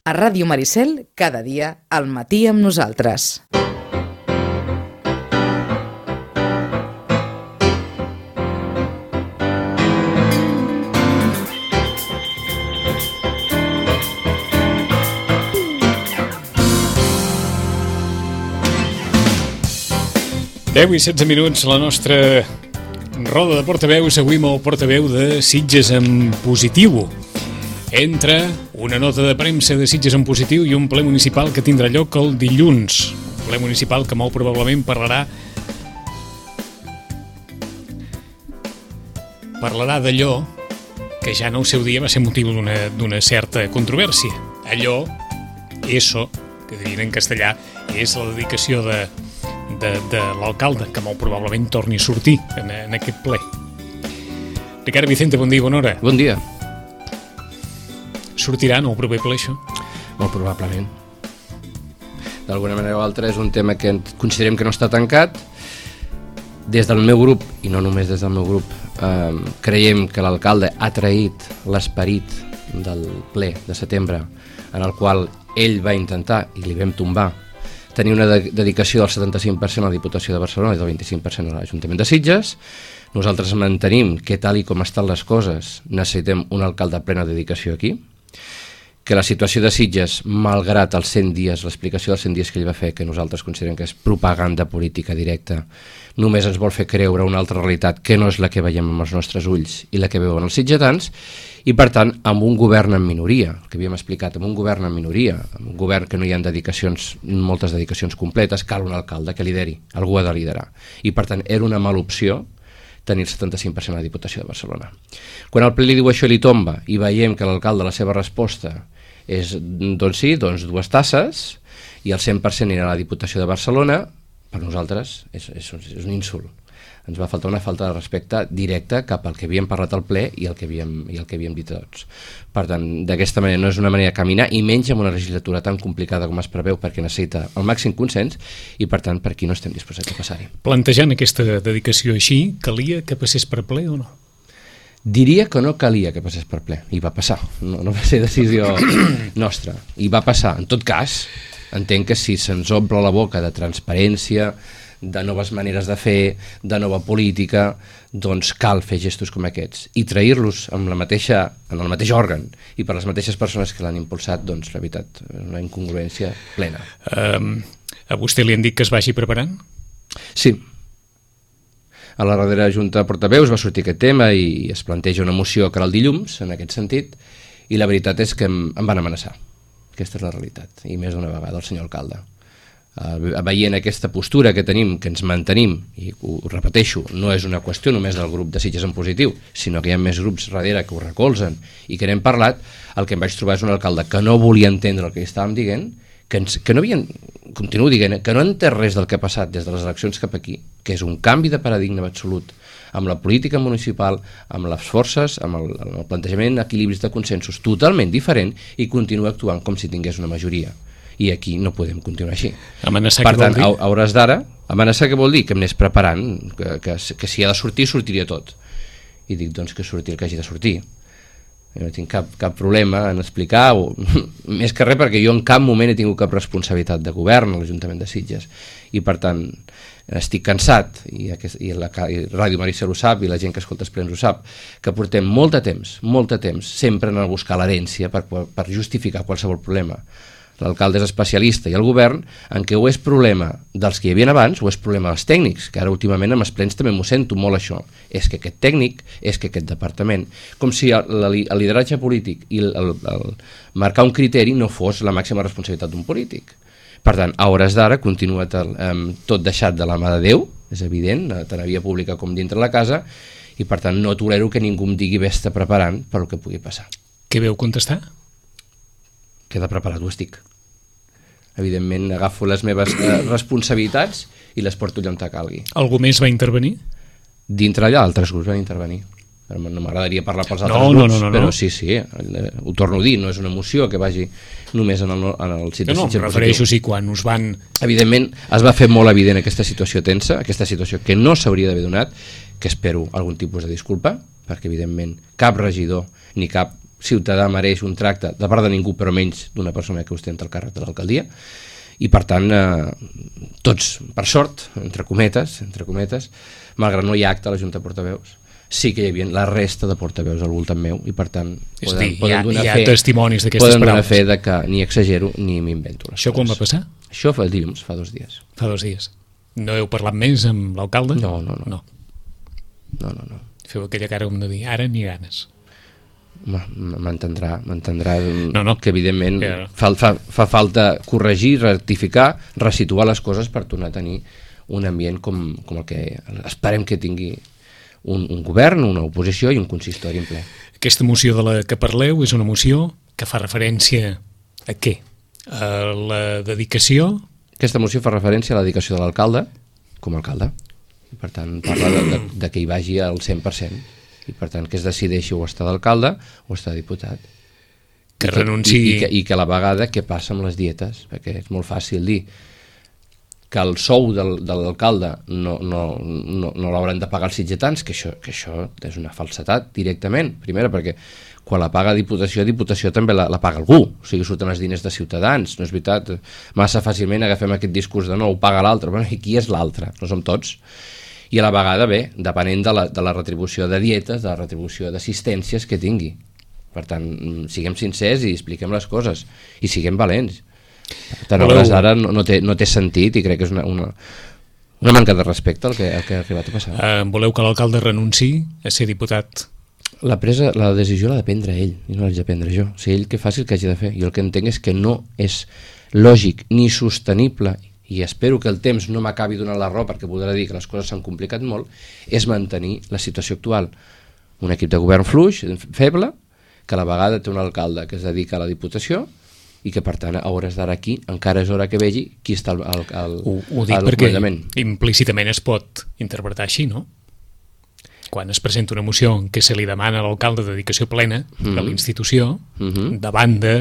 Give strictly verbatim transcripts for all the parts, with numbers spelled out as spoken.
A Ràdio Maricel, cada dia, al matí amb nosaltres. deu i setze minuts, la nostra roda de portaveus, avui amb el portaveu de Sitges en positiu. Entra una nota de premsa de Sitges en positiu i un ple municipal que tindrà lloc el dilluns. Un ple municipal que molt probablement parlarà parlarà d'allò que ja en el seu dia va ser motiu d'una, d'una certa controvèrsia. Allò, eso, que dirien en castellà, és la dedicació de de, de l'alcalde, que molt probablement torni a sortir en, en aquest ple. Ricard Vicente, bon dia, bona hora. Bon dia. Sortirà en el proper ple, això? Molt probablement. D'alguna manera o altra és un tema que considerem que no està tancat. Des del meu grup, i no només des del meu grup, eh, creiem que l'alcalde ha traït l'esperit del ple de setembre, en el qual ell va intentar, i li vam tombar, tenir una de- dedicació del setanta-cinc per cent a la Diputació de Barcelona i del vint-i-cinc per cent a l'Ajuntament de Sitges. Nosaltres mantenim que, tal i com estan les coses, necessitem un alcalde de plena dedicació aquí, que la situació de Sitges, malgrat els cent dies, l'explicació dels cent dies que ell va fer, que nosaltres considerem que és propaganda política directa, només ens vol fer creure una altra realitat que no és la que veiem amb els nostres ulls i la que veuen els sitgetans, i per tant, amb un govern en minoria, el que havíem explicat, amb un govern en minoria, amb un govern que no hi ha dedicacions, moltes dedicacions completes, cal un alcalde que lideri, algú ha de liderar. I per tant, era una mala opció tenir el setanta-cinc per cent a la Diputació de Barcelona. Quan el ple li diu això i li tomba, i veiem que l'alcalde, la seva resposta és, doncs sí, doncs dues tasses, i el cent per cent anirà a la Diputació de Barcelona, per nosaltres és, és, és un insult. Ens va faltar una falta de respecte directa cap al que havíem parlat al ple i el que havíem, i el que havíem dit tots. Per tant, d'aquesta manera no és una manera de caminar, i menys en una legislatura tan complicada com es preveu, perquè necessita el màxim consens, i per tant per aquí no estem disposats a passar-hi. Plantejant aquesta dedicació així, calia que passés per ple o no? Diria que no calia que passés per ple, i va passar, no, no va ser decisió nostra, i va passar. En tot cas, entenc que si se'ns omple la boca de transparència, de noves maneres de fer, de nova política, doncs cal fer gestos com aquests, i trair-los amb la mateixa, en el mateix òrgan i per les mateixes persones que l'han impulsat, doncs la veritat, una incongruència plena. Um, a vostè li han dit que es vagi preparant? Sí. A la darrera Junta de Portaveus va sortir aquest tema i es planteja una moció que era el dilluns, en aquest sentit, i la veritat és que em, em van amenaçar. Aquesta és la realitat, i més d'una vegada el senyor alcalde. Uh, veient aquesta postura que tenim, que ens mantenim, i ho, ho repeteixo, no és una qüestió només del grup de Sitges en positiu, sinó que hi ha més grups darrere que ho recolzen i que n'hem parlat, el que em vaig trobar és un alcalde que no volia entendre el que estàvem dient, que, ens, que no havien, continuo dient, que no entès res del que ha passat des de les eleccions cap aquí, que és un canvi de paradigma absolut amb la política municipal, amb les forces, amb el, amb el plantejament d'equilibris de consensos totalment diferent, i continua actuant com si tingués una majoria. I aquí no podem continuar així. Amenaçar per què tant, vol dir? a hores d'ara, amenaçar què vol dir? Que em anés preparant, que, que, que si ha de sortir, sortiria tot. I dic, doncs, que surti el que hagi de sortir. Jo no tinc cap, cap problema en explicar, o, més que res perquè jo en cap moment he tingut cap responsabilitat de govern a l'Ajuntament de Sitges, i per tant estic cansat, i, aquest, i la i Ràdio Maricel ho sap, i la gent que escolta els plens ho sap, que portem molt de temps, molt de temps, sempre en el buscar l'herència per, per justificar qualsevol problema. L'alcalde és especialista i el govern en què o és problema dels que hi havia abans o és problema dels tècnics, que ara últimament amb els plens també m'ho sento molt això. És que aquest tècnic, és que aquest departament, com si el, el lideratge polític i el, el, el marcar un criteri no fos la màxima responsabilitat d'un polític. Per tant, a hores d'ara continua tal, um, tot deixat de la mà de Déu, és evident, tant a via pública com dintre la casa, i per tant no tolero que ningú em digui vés-te preparant per el que pugui passar. Què veu contestar? Queda preparat, ho estic. Evidentment agafo les meves eh, responsabilitats i les porto allà on calgui. Algú més va intervenir? Dintre allà altres grups van intervenir. No m'agradaria parlar pels altres no, grups, no, no, no, però no. sí, sí, eh, ho torno a dir, no és una moció que vagi només en el, en el sitio no, no, Sitges em refereixo, sí, quan us van... Evidentment, es va fer molt evident aquesta situació tensa, aquesta situació que no s'hauria d'haver donat, que espero algun tipus de disculpa, perquè evidentment cap regidor ni cap ciutadà mereix un tracte de part de ningú, però menys d'una persona que ostenta el càrrec de l'alcaldia, i per tant eh, tots, per sort, entre cometes, entre cometes, malgrat no hi ha acte a la Junta de Portaveus, sí que hi havia la resta de portaveus al voltant meu i per tant És poden, dir, poden hi ha, donar hi ha fe, testimonis d'aquestes poden donar paraules. fe de que ni exagero ni m'invento les Això quan va coses. passar? Això fa dilluns, fa dos dies. Fa dos dies. No heu parlat més amb l'alcalde? No, no, no. no. No, no, no. Feu aquella cara com de dir, ara ni ganes. M'entendrà, m'entendrà no, no. que evidentment ja. fa, fa, fa falta corregir, rectificar, resituar les coses per tornar a tenir un ambient com, com el que esperem que tingui un, un govern, una oposició i un consistori en ple. Aquesta moció de la que parleu és una moció que fa referència a què? A la dedicació? Aquesta moció fa referència a la dedicació de l'alcalde com a alcalde. I per tant parla de, de, de que hi vagi al cent per cent. I per tant que es decideixi o estar d'alcalde o estar diputat. Que I renunci... I, i, que, I que a la vegada què passa amb les dietes, perquè és molt fàcil dir que el sou del, de l'alcalde no, no, no, no l'hauran de pagar els sitgetans, que això, que això és una falsetat directament, primera perquè quan la paga Diputació, Diputació també la, la paga algú, o sigui, surten els diners de Ciutadans, no és veritat, massa fàcilment agafem aquest discurs de no, ho paga l'altre, bueno, i qui és l'altre? No som tots. I a la vegada, bé, depenent de la, de la retribució de dietes, de la retribució d'assistències que tingui. Per tant, siguem sincers i expliquem les coses, i siguem valents. Per tant, Voleu... ara no, no, té, no té sentit i crec que és una, una, una manca de respecte el que, el que ha arribat a passar. Uh, voleu que l'alcalde renunci a ser diputat? La, presa, la decisió l'ha de prendre ell i no l'haig de prendre jo. O sigui, ell que faci el que hagi de fer. I el que entenc és que no és lògic ni sostenible, i espero que el temps no m'acabi donant la raó perquè voldrà dir que les coses s'han complicat molt, és mantenir la situació actual. Un equip de govern fluix, feble, que a la vegada té un alcalde que es dedica a la Diputació i que per tant a hores d'ara aquí encara és hora que vegi qui està al, al, al, ho, ho dic al perquè comandament. Implícitament es pot interpretar així, no? Quan es presenta una moció en què se li demana a l'alcalde dedicació plena mm-hmm. a la institució, mm-hmm. davant de,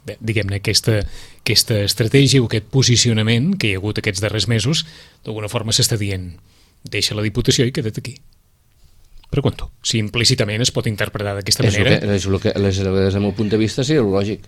de diguem-ne, aquesta, aquesta estratègia o aquest posicionament que hi ha hagut aquests darrers mesos, d'alguna forma s'està dient deixa la Diputació i queda't aquí. Pregunto, si implícitament es pot interpretar d'aquesta manera... És el que, és el que des del meu punt de vista seria el lògic.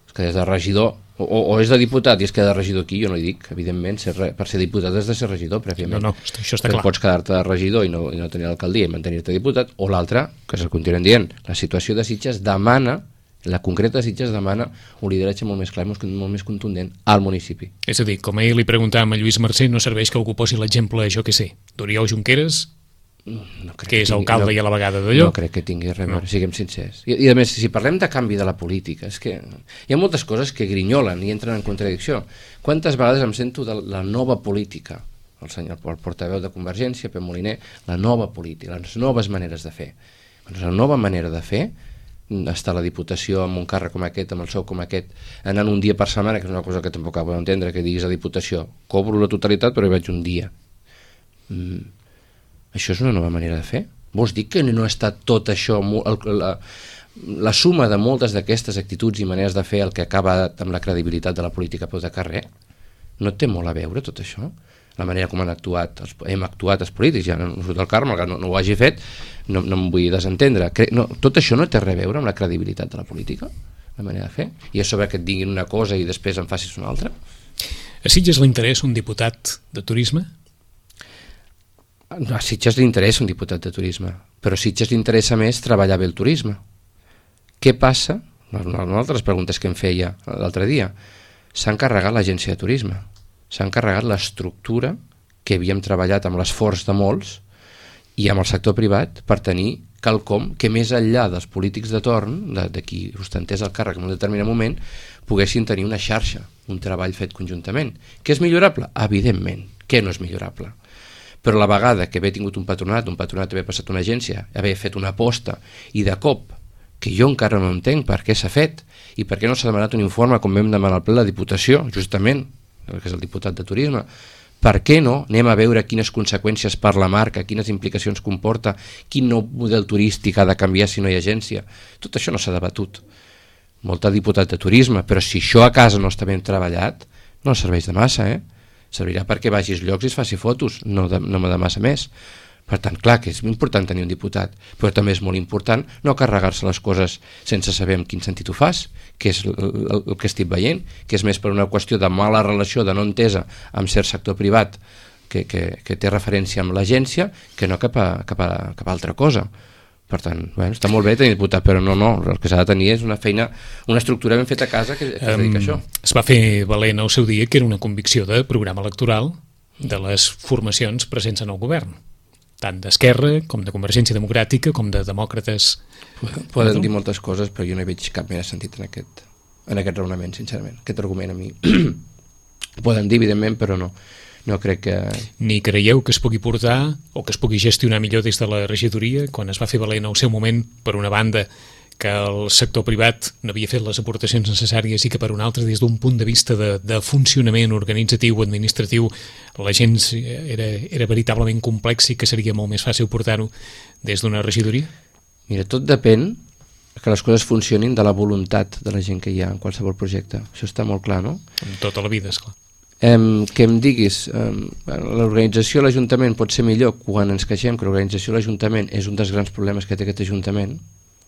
És que des de regidor, o, o és de diputat i es queda de regidor aquí, jo no hi dic, evidentment, ser, per ser diputat has de ser regidor prèviament. No, no, això està que clar. Pots quedar-te de regidor i no, i no tenir l'alcaldia i mantenir-te diputat, o l'altre, que se'l continuen dient, la situació de Sitges demana, la concreta de Sitges demana un lideratge molt més clar i molt més contundent al municipi. És a dir, com ahir li preguntàvem a Lluís Mercè, no serveix que algú posi l'exemple, jo què sé, d'Oriol Junqueras, no que és alcalde no, i a la vegada d'allò. No crec que tingui res a veure, no. Siguem sincers. I, I a més, si parlem de canvi de la política, és que hi ha moltes coses que grinyolen i entren en contradicció. Quantes vegades em sento de la nova política, el senyor el portaveu de Convergència, Pep Moliner, la nova política, les noves maneres de fer. Doncs la nova manera de fer, estar a la Diputació amb un càrrec com aquest, amb el sou com aquest, anant un dia per setmana, que és una cosa que tampoc acabo d'entendre, que diguis a Diputació, cobro la totalitat però hi vaig un dia. Mm. Això és una nova manera de fer? Vols dir que no està tot això, la, la suma de moltes d'aquestes actituds i maneres de fer el que acaba amb la credibilitat de la política a peu de carrer? No té molt a veure tot això? La manera com han actuat, els, hem actuat els polítics, ja no surt el Carme, no, no ho hagi fet, no, no em vull desentendre. No, tot això no té res a veure amb la credibilitat de la política? La manera de fer? I és sobre que et diguin una cosa i després en facis una altra? A Sitges li interessa un diputat de turisme? A Sitges li interessa un diputat de turisme, però a Sitges li interessa més treballar bé el turisme. Què passa? Una altres preguntes que em feia l'altre dia. S'ha encarregat l'agència de turisme, s'ha encarregat l'estructura que havíem treballat amb l'esforç de molts i amb el sector privat per tenir quelcom que més enllà dels polítics de torn, de, de qui ostentés el càrrec en un determinat moment, poguessin tenir una xarxa, un treball fet conjuntament. Què és millorable? Evidentment. Què no és millorable? Però la vegada que haver tingut un patronat, un patronat haver passat una agència, haver fet una aposta, i de cop, que jo encara no entenc per què s'ha fet, i per què no s'ha demanat un informe com vam demanar al ple de la Diputació, justament, que és el diputat de turisme, per què no anem a veure quines conseqüències per la marca, quines implicacions comporta, quin nou model turístic ha de canviar si no hi ha agència. Tot això no s'ha debatut. Molta diputat de turisme, però si això a casa no està ben treballat, no serveix de massa, eh? Servirà perquè vagis llocs i es faci fotos, no de, no de massa més. Per tant, clar que és important tenir un diputat, però també és molt important no carregar-se les coses sense saber en quin sentit ho fas, que és el, el, el que estic veient, que és més per una qüestió de mala relació, de no entesa amb cert sector privat que, que, que té referència amb l'agència, que no cap a, cap a, cap a altra cosa. Per tant, bueno, està molt bé tenir diputat, però no, no, el que s'ha de tenir és una feina, una estructura ben feta a casa que, que es dedica a això. Es va fer valent al seu dia que era una convicció de programa electoral de les formacions presents en el govern, tant d'Esquerra com de Convergència Democràtica com de Demòcrates. Poden dir moltes coses, però jo no hi veig cap mena de sentit en aquest, en aquest raonament, sincerament. Aquest argument a mi poden dir, evidentment, però no. No crec que... Ni creieu que es pugui portar o que es pugui gestionar millor des de la regidoria, quan es va fer valent al seu moment, per una banda, que el sector privat no havia fet les aportacions necessàries i que per una altra, des d'un punt de vista de, de funcionament organitzatiu o administratiu, la gent era, era veritablement complex i que seria molt més fàcil portar-ho des d'una regidoria? Mira, tot depèn que les coses funcionin de la voluntat de la gent que hi ha en qualsevol projecte. Això està molt clar, no? En tota la vida, esclar. Um, que em diguis, um, l'organització a l'Ajuntament pot ser millor quan ens queixem que l'organització a l'Ajuntament és un dels grans problemes que té aquest Ajuntament,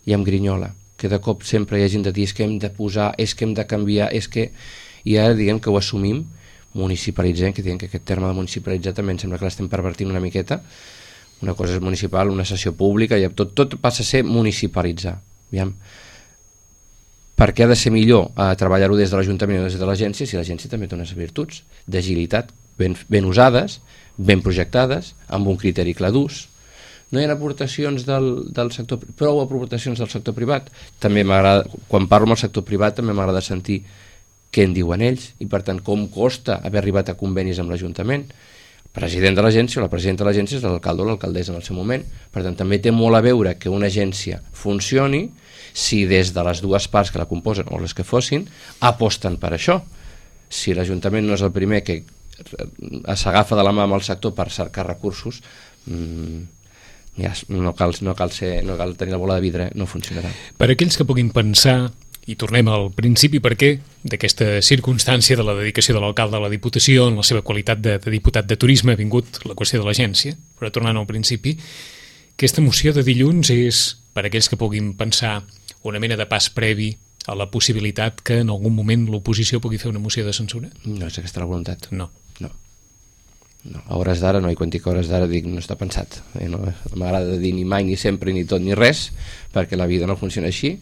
i amb grinyola, que de cop sempre hi ha gent de dir és que hem de posar, és que hem de canviar, és que... I ara diguem que ho assumim, municipalitzem, que diguem que aquest terme de municipalitzar també em sembla que l'estem pervertint una miqueta, una cosa és municipal, una sessió pública, i tot, tot passa a ser municipalitzar. Aviam. Per què ha de ser millor a treballar-ho des de l'Ajuntament o des de l'agència si l'agència també té unes virtuts d'agilitat ben, ben usades, ben projectades, amb un criteri clar d'ús. No hi ha aportacions del, del sector, prou aportacions del sector privat. També m'agrada, quan parlo amb el sector privat també m'agrada sentir què en diuen ells i per tant com costa haver arribat a convenis amb l'Ajuntament. El president de l'agència o la presidenta de l'agència és l'alcalde o l'alcaldessa en el seu moment. Per tant també té molt a veure que una agència funcioni si des de les dues parts que la composen o les que fossin aposten per això. Si l'Ajuntament no és el primer que s'agafa de la mà amb el sector per cercar recursos, mmm, ja, no, cal, no, cal ser, no cal tenir la bola de vidre, no funcionarà. Per aquells que puguin pensar, i tornem al principi, per què d'aquesta circumstància de la dedicació de l'alcalde a la Diputació en la seva qualitat de, de diputat de turisme ha vingut la qüestió de l'agència, però tornant al principi, aquesta moció de dilluns és, per aquells que puguin pensar, una mena de pas previ a la possibilitat que en algun moment l'oposició pugui fer una moció de censura? No és aquesta la voluntat. No. No. No. A hores d'ara no, i quan dic hores d'ara dic no està pensat. Eh, no m'agrada dir ni mai, ni sempre, ni tot, ni res, perquè la vida no funciona així,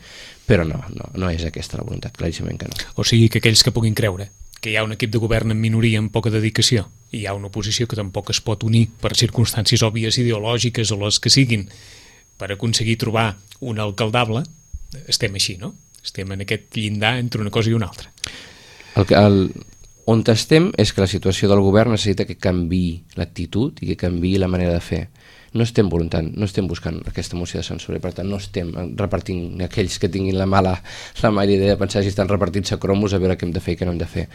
però no, no, no és aquesta la voluntat, claríssimament que no. O sigui que aquells que puguin creure que hi ha un equip de govern en minoria amb poca dedicació i hi ha una oposició que tampoc es pot unir per circumstàncies òbvies ideològiques o les que siguin per aconseguir trobar un alcaldable, estem així, no? Estem en aquest llindar entre una cosa i una altra. El, el, on estem és que la situació del govern necessita que canviï l'actitud i que canviï la manera de fer. No estem voluntant, no estem buscant aquesta moció de censura i per tant no estem repartint aquells que tinguin la mala, la mala idea de pensar si estan repartint-se cromos a veure què hem de fer i què no hem de fer.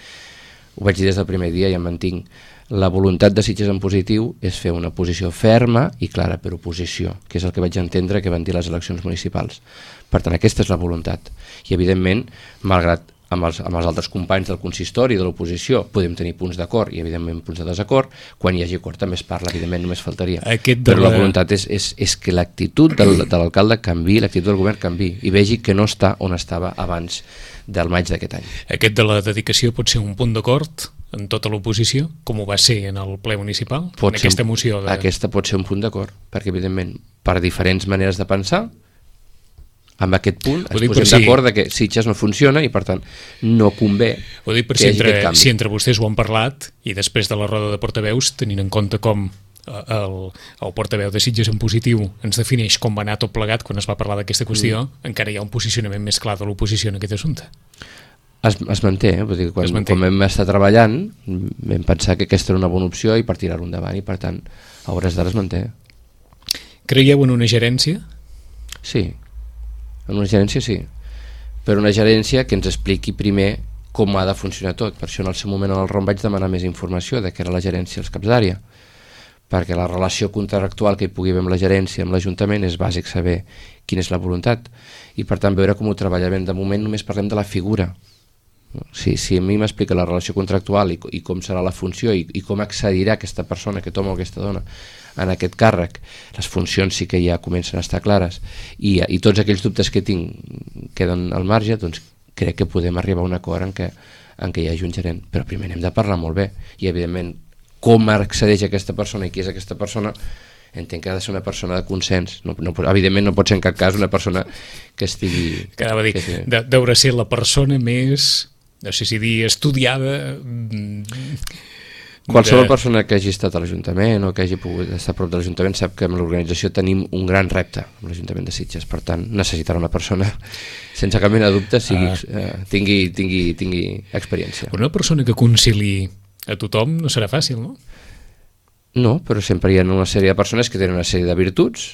Ho vaig dir des del primer dia i em mantinc. La voluntat de Sitges en positiu és fer una posició ferma i clara per oposició, que és el que vaig entendre que van dir les eleccions municipals. Per tant, aquesta és la voluntat. I, evidentment, malgrat amb els, amb els altres companys del consistori i de l'oposició podem tenir punts d'acord i, evidentment, punts de desacord, quan hi hagi acord també es parla, evidentment, només faltaria. Aquest Però la... la voluntat és, és, és que l'actitud del, de l'alcalde canvi, l'actitud del govern canvi i vegi que no està on estava abans del maig d'aquest any. Aquest de la dedicació pot ser un punt d'acord en tota l'oposició, com ho va ser en el ple municipal, pot en aquesta moció de... Aquesta pot ser un punt d'acord, perquè evidentment per diferents maneres de pensar amb aquest punt ens posem si... d'acord de que Sitges no funciona i per tant no convé ho dic per que si hi hagi entre, aquest canvi. Si entre vostès ho han parlat i després de la roda de portaveus, tenint en compte com el, el portaveu de Sitges en positiu ens defineix com va anar tot plegat quan es va parlar d'aquesta qüestió, mm. encara hi ha un posicionament més clar de l'oposició en aquest assumpte. Es, es manté, eh? Vull dir, quan, es manté. Quan vam estar treballant vam pensar que aquesta era una bona opció i per tirar-ho endavant i per tant a hores d'ara es manté. Creieu en una gerència? Sí, en una gerència sí, però una gerència que ens expliqui primer com ha de funcionar tot. Per això en el seu moment en el R O M vaig demanar més informació de què era la gerència als caps d'àrea, perquè la relació contractual que hi pugui haver amb la gerència, amb l'Ajuntament, és bàsic saber quina és la voluntat i per tant veure com ho treballem. De moment només parlem de la figura Si, si a mi m'explica la relació contractual i, i com serà la funció i, i com accedirà aquesta persona, aquest home o aquesta dona, en aquest càrrec, les funcions sí que ja comencen a estar clares i, i tots aquells dubtes que tinc queden al marge, doncs crec que podem arribar a un acord en què, en què hi hagi un gerent. Però primer hem de parlar molt bé i, evidentment, com accedeix aquesta persona i qui és aquesta persona, entenc que ha de ser una persona de consens. No, no, evidentment no pot ser en cap cas una persona que estigui... Que anava a dir, que de, deurà ser la persona més, no sé si dir, estudiada... Qualsevol de... persona que hagi estat a l'Ajuntament o que hagi pogut estar a prop de l'Ajuntament sap que amb l'organització tenim un gran repte amb l'Ajuntament de Sitges, per tant necessitarà una persona sense cap mena de dubte sigui, ah. eh, tingui, tingui, tingui experiència. Una persona que concili a tothom no serà fàcil, no? No, però sempre hi ha una sèrie de persones que tenen una sèrie de virtuts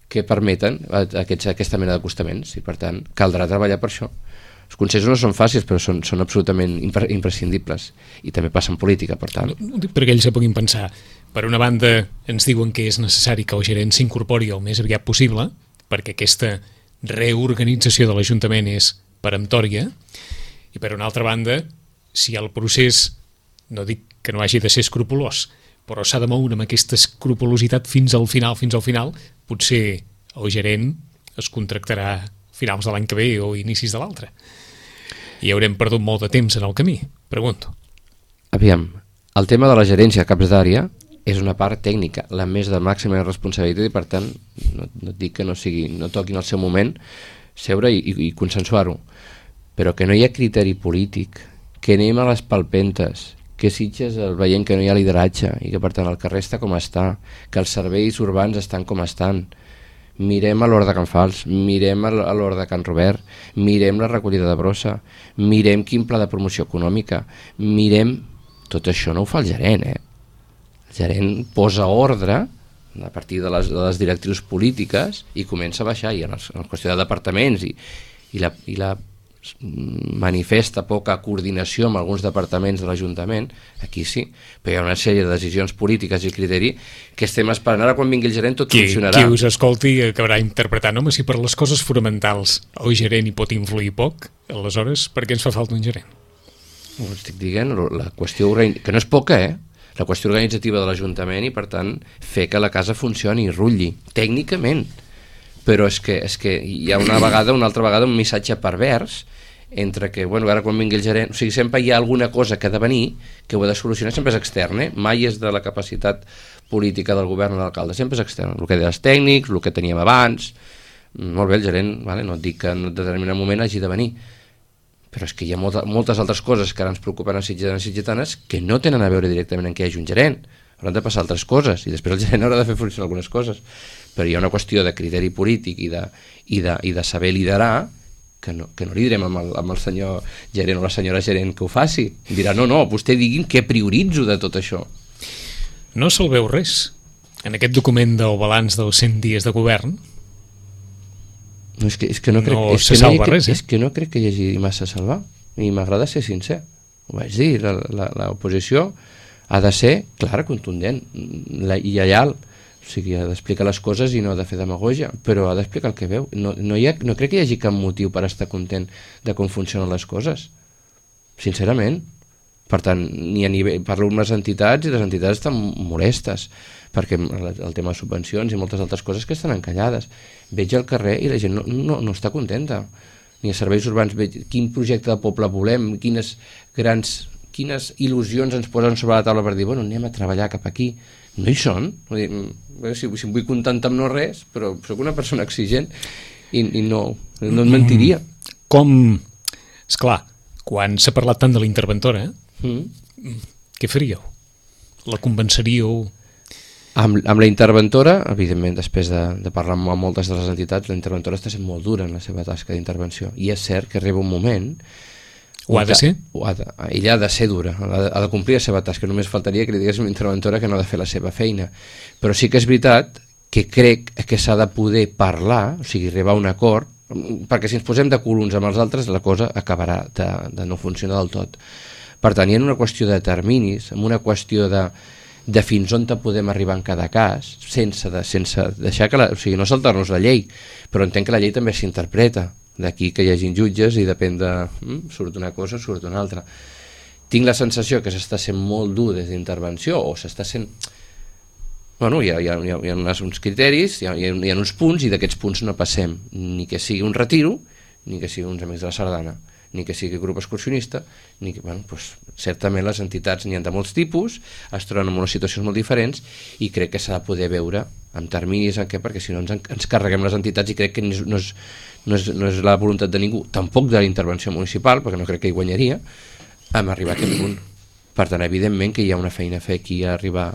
que permeten aquests, aquesta mena d'acostaments i per tant caldrà treballar per això. Els consensos no són fàcils, però són, són absolutament impre imprescindibles i també passa en política, per tant. No, no dic perquè ells se puguin pensar. Per una banda, ens diuen que és necessari que el gerent s'incorpori el més aviat possible, perquè aquesta reorganització de l'Ajuntament és peremptòria, i per una altra banda, si el procés, no dic que no hagi de ser escrupolós, però s'ha de moure amb aquesta escrupolositat fins al final, fins al final, potser el gerent es contractarà finals de l'any que ve o inicis de l'altre. I haurem perdut molt de temps en el camí, pregunto. Aviam, el tema de la gerència a caps d'àrea és una part tècnica, la més de màxima responsabilitat i per tant no, no dic que no sigui, no toquin al seu moment seure i, i, i consensuar-ho, però que no hi ha criteri polític, que anem a les palpentes, que Sitges veiem que no hi ha lideratge i que per tant el carrer està com està, que els serveis urbans estan com estan. Mirem a l'hora de Can Fals, mirem a l'hora de Can Robert, mirem la recollida de brossa, mirem quin pla de promoció econòmica, mirem... Tot això no ho fa el gerent, eh? El gerent posa ordre a partir de les, de les directrius polítiques i comença a baixar, i en, els, en qüestió de departaments i, i, la, i la manifesta poca coordinació amb alguns departaments de l'Ajuntament, aquí sí, però hi ha una sèrie de decisions polítiques i criteri que estem esperant ara quan vingui el gerent tot qui, funcionarà. Qui us escolti acabarà interpretant, home, si per les coses fonamentals el gerent hi pot influir poc, aleshores per què ens fa falta un gerent? Ho estic dient, la qüestió que no és poca, eh? La qüestió organitzativa de l'Ajuntament i per tant fer que la casa funcioni i rutlli, tècnicament. Però és que, és que hi ha una vegada, una altra vegada un missatge pervers entre que, bueno, ara quan vingui el gerent, o sigui, sempre hi ha alguna cosa que ha de venir, que ho ha de solucionar, sempre és extern, eh? Mai és de la capacitat política del govern o de l'alcalde, sempre és extern, el que dels tècnics, el que teníem abans, molt bé el gerent, vale? No et dic que en un determinat moment hagi de venir, però és que hi ha molta, moltes altres coses que ara ens preocupen a sitgetans i sitgetanes que no tenen a veure directament en què hi hagi un gerent, hauran de passar altres coses i després el gerent haurà de fer funcionar algunes coses, però hi ha una qüestió de criteri polític i de, i de, i de saber liderar que no, que no li direm amb el, amb el senyor gerent o la senyora gerent que ho faci, dirà no, no, vostè digui'm què prioritzo de tot això. No se'l veu res en aquest document del balanç dels cent dies de govern. No, és que, és que no crec, no és se que salva no, res, eh? És que no crec que hi hagi massa a salvar i m'agrada ser sincer, ho vaig dir, l'oposició ha de ser clara, contundent i lleial, o sigui, ha d'explicar les coses i no ha de fer demagogia, però ha d'explicar el que veu. No, no, hi ha, no crec que hi hagi cap motiu per estar content de com funcionen les coses, sincerament. Per tant, ni a nivell, parlo amb les entitats i les entitats estan molestes perquè el tema de subvencions i moltes altres coses que estan encallades. Veig al carrer i la gent no, no, no està contenta. Ni a serveis urbans veig quin projecte de poble volem, quines grans, quines il·lusions ens posen sobre la taula per dir, bueno, anem a treballar cap aquí. No hi són. Vull dir, si, si em vull contentar amb no res, però sóc una persona exigent i, i no, no et mentiria. Com, esclar, quan s'ha parlat tant de la interventora, eh? Mm. Què faríeu? La convenceríeu? Amb, amb la interventora, evidentment, després de, de parlar amb moltes de les entitats, la interventora està sent molt dura en la seva tasca d'intervenció. I és cert que arriba un moment... Ho ha de ser? Ho ha de, ella ha de ser dura, ha de, ha de complir la seva tasca. Només faltaria que li digués a una interventora que no ha de fer la seva feina. Però sí que és veritat que crec que s'ha de poder parlar, o sigui, arribar a un acord, perquè si ens posem de cul uns amb els altres, la cosa acabarà de, de no funcionar del tot. Per tant, hi ha una qüestió de terminis, amb una qüestió de, de fins on te podem arribar en cada cas, sense, de, sense deixar que la, o sigui, no saltar-nos la llei, però entenc que la llei també s'interpreta. D'aquí que hi hagin jutges i depèn de... Mm, surt una cosa, surt una altra. Tinc la sensació que s'està sent molt dur des d'intervenció, o s'està sent... Bueno, hi ha, hi ha, hi ha, hi ha uns criteris, hi ha, hi ha uns punts, i d'aquests punts no passem. Ni que sigui un retiro, ni que sigui uns amics de la sardana, ni que sigui grup excursionista, ni que, bueno, doncs, certament les entitats n'hi ha de molts tipus, es troben en unes situacions molt diferents, i crec que s'ha de poder veure amb terminis en què, perquè si no ens, ens carreguem les entitats, i crec que no és, no, és, no, és, no és la voluntat de ningú, tampoc de la intervenció municipal, perquè no crec que hi guanyaria, amb arribar a aquest punt. Per tant, evidentment que hi ha una feina a fer aquí a arribar,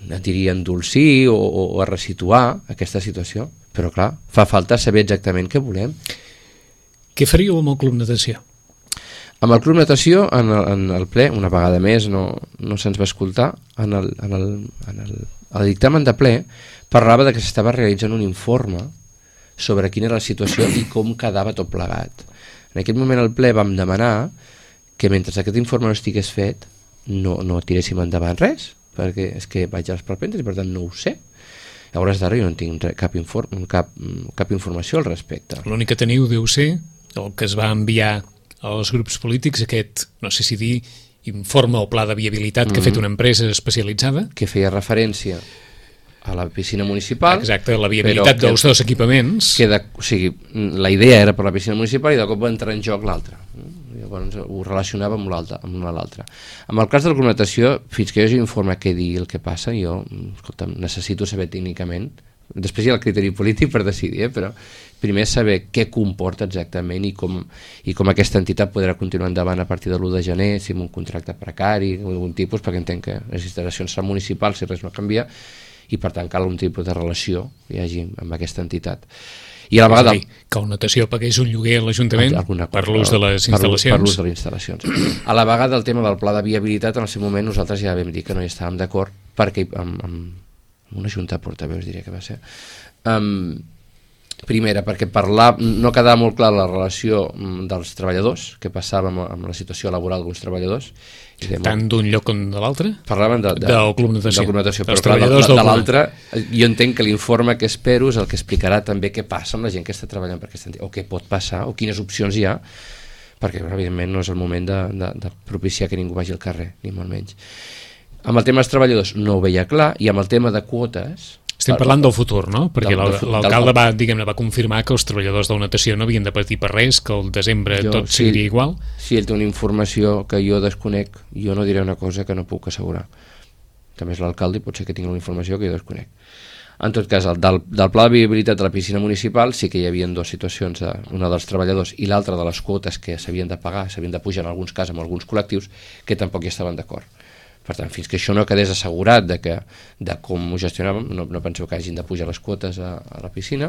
diria, a endolcir o, o, o a resituar aquesta situació, però clar, fa falta saber exactament què volem. Què faríeu amb el Club Natació? Amb el Club Natació, en el, en el ple, una vegada més, no, no se'ns va escoltar, en el, en el, en el, el dictamen de ple parlava de que s'estava realitzant un informe sobre quina era la situació i com quedava tot plegat. En aquest moment al ple vam demanar que mentre aquest informe no estigués fet no, no tiréssim endavant res, perquè és que vaig als palpentes i per tant no ho sé. A hores d'ara jo no tinc cap, inform cap, cap informació al respecte. L'únic que teniu deu ser el que es va enviar als grups polítics, aquest, no sé si dir, informe o pla de viabilitat mm-hmm. que ha fet una empresa especialitzada. Que feia referència a la piscina municipal. Exacte, la viabilitat dels dos equipaments. Que de, o sigui, la idea era per la piscina municipal i de cop va entrar en joc l'altra. Llavors ho relacionava amb l'altre, amb una a l'altra. Amb el cas de la natació, fins que jo hagi informe què dir el que passa, jo escolta, necessito saber tècnicament, després hi ha el criteri polític per decidir, eh, però primer saber què comporta exactament i com, i com aquesta entitat podrà continuar endavant a partir de l'u de gener, si amb un contracte precari, algun tipus, perquè entenc que les instal·lacions seran municipals si res no canvia, i per tant cal un tipus de relació que hi hagi amb aquesta entitat. I a la vegada... És a dir, que el Natació pagués un lloguer a l'Ajuntament per l'ús de les instal·lacions. Per l'ús de les instal·lacions. A la vegada el tema del pla de viabilitat, en el seu moment nosaltres ja vam dir que no hi estàvem d'acord perquè amb, amb una junta de portaveus diria que va ser um, primera perquè parlar, no quedava molt clar la relació dels treballadors, que passava amb, amb la situació laboral d'uns treballadors. Tant d'un lloc com de l'altre? Parlaven de, de, del Club Natació. Del Club Natació, però clar, de, de, de l'altre, jo entenc que l'informe que espero és el que explicarà també què passa amb la gent que està treballant per aquesta entitat, o què pot passar, o quines opcions hi ha, perquè evidentment no és el moment de, de, de propiciar que ningú vagi al carrer, ni molt menys. Amb el tema dels treballadors no ho veia clar, i amb el tema de quotes... Estem parlant del futur, no? Perquè l'alcalde va, diguem-ne, va confirmar que els treballadors de la natació no havien de patir per res, que el desembre jo, tot si, seguiria igual. Si ell té una informació que jo desconec, jo no diré una cosa que no puc assegurar. També és l'alcalde i pot ser que tingui una informació que jo desconec. En tot cas, el, del, del pla de viabilitat de la piscina municipal sí que hi havia dues situacions, una dels treballadors i l'altra de les quotes que s'havien de pagar, s'havien de pujar en alguns casos amb alguns col·lectius, que tampoc hi estaven d'acord. Per tant, fins que això no quedés assegurat de, que, de com ho gestionàvem, no, no penseu que hagin de pujar les quotes a, a la piscina,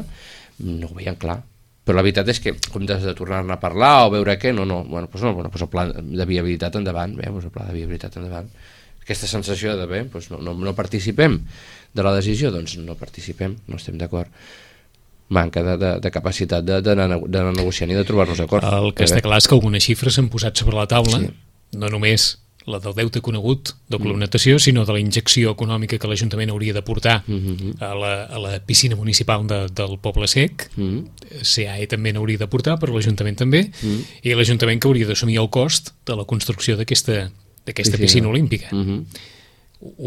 no ho veien clar. Però la veritat és que, com de, de tornar-ne a parlar o veure què, no, no, bueno, doncs no, bueno, doncs el pla de viabilitat endavant, bé, doncs el pla de viabilitat endavant. Aquesta sensació de, bé, doncs no, no, no participem de la decisió, doncs no participem, no estem d'acord. Manca de, de, de capacitat d'anar negociant i de trobar-nos d'acord. El que està clar és que algunes xifres s'han posat sobre la taula, sí. No només la del deute conegut del Club Natació, sinó de la injecció econòmica que l'Ajuntament hauria de portar mm-hmm. a, la, a la piscina municipal de, del Poble Sec. Mm-hmm. C A E també n'hauria de portar, però l'Ajuntament també, mm-hmm. i l'Ajuntament que hauria d'assumir el cost de la construcció d'aquesta piscina, piscina olímpica. Mm-hmm.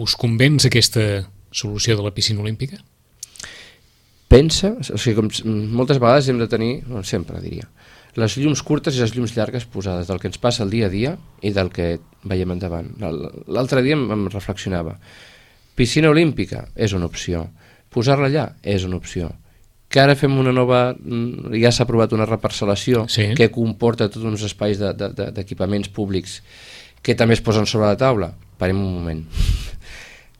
Us convenç aquesta solució de la piscina olímpica? Pensa, o sigui, com moltes vegades hem de tenir, bueno, sempre diria, les llums curtes i les llums llargues posades del que ens passa el dia a dia i del que veiem endavant. L'altre dia em reflexionava. Piscina olímpica és una opció. Posar-la allà és una opció. Que ara fem una nova... Ja s'ha aprovat una reparcel·lació sí. Que comporta tots uns espais d'equipaments de, de, públics que també es posen sobre la taula. Parem un moment.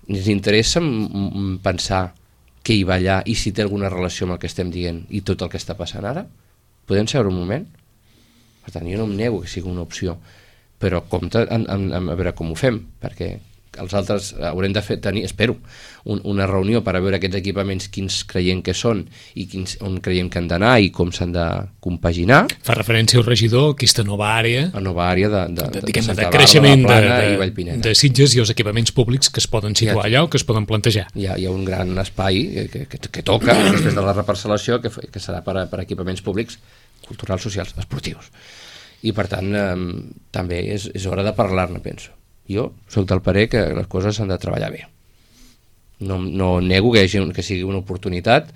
Ens interessa pensar què hi va allà i si té alguna relació amb el que estem dient i tot el que està passant ara? Podem seure un moment? Per tant, jo no em nego que sigui una opció, però compte en, en, en a veure com ho fem, perquè els altres haurem de fer, tenir, espero, un, una reunió per a veure aquests equipaments quins creiem que són i quins, on creiem que han d'anar i com s'han de compaginar. Fa referència al regidor, aquesta nova àrea, la nova àrea de, de, de, de, de, de, de creixement de, de, de Sitges i els equipaments públics que es poden situar allà o que es poden plantejar. Hi ha, hi ha un gran espai que, que, que toca després de la reparcel·lació que, que serà per, per equipaments públics culturals, socials, esportius. I per tant eh, també és, és hora de parlar-ne, penso. Jo soc del parer que les coses s'han de treballar bé. No, no nego que, hagi, que sigui una oportunitat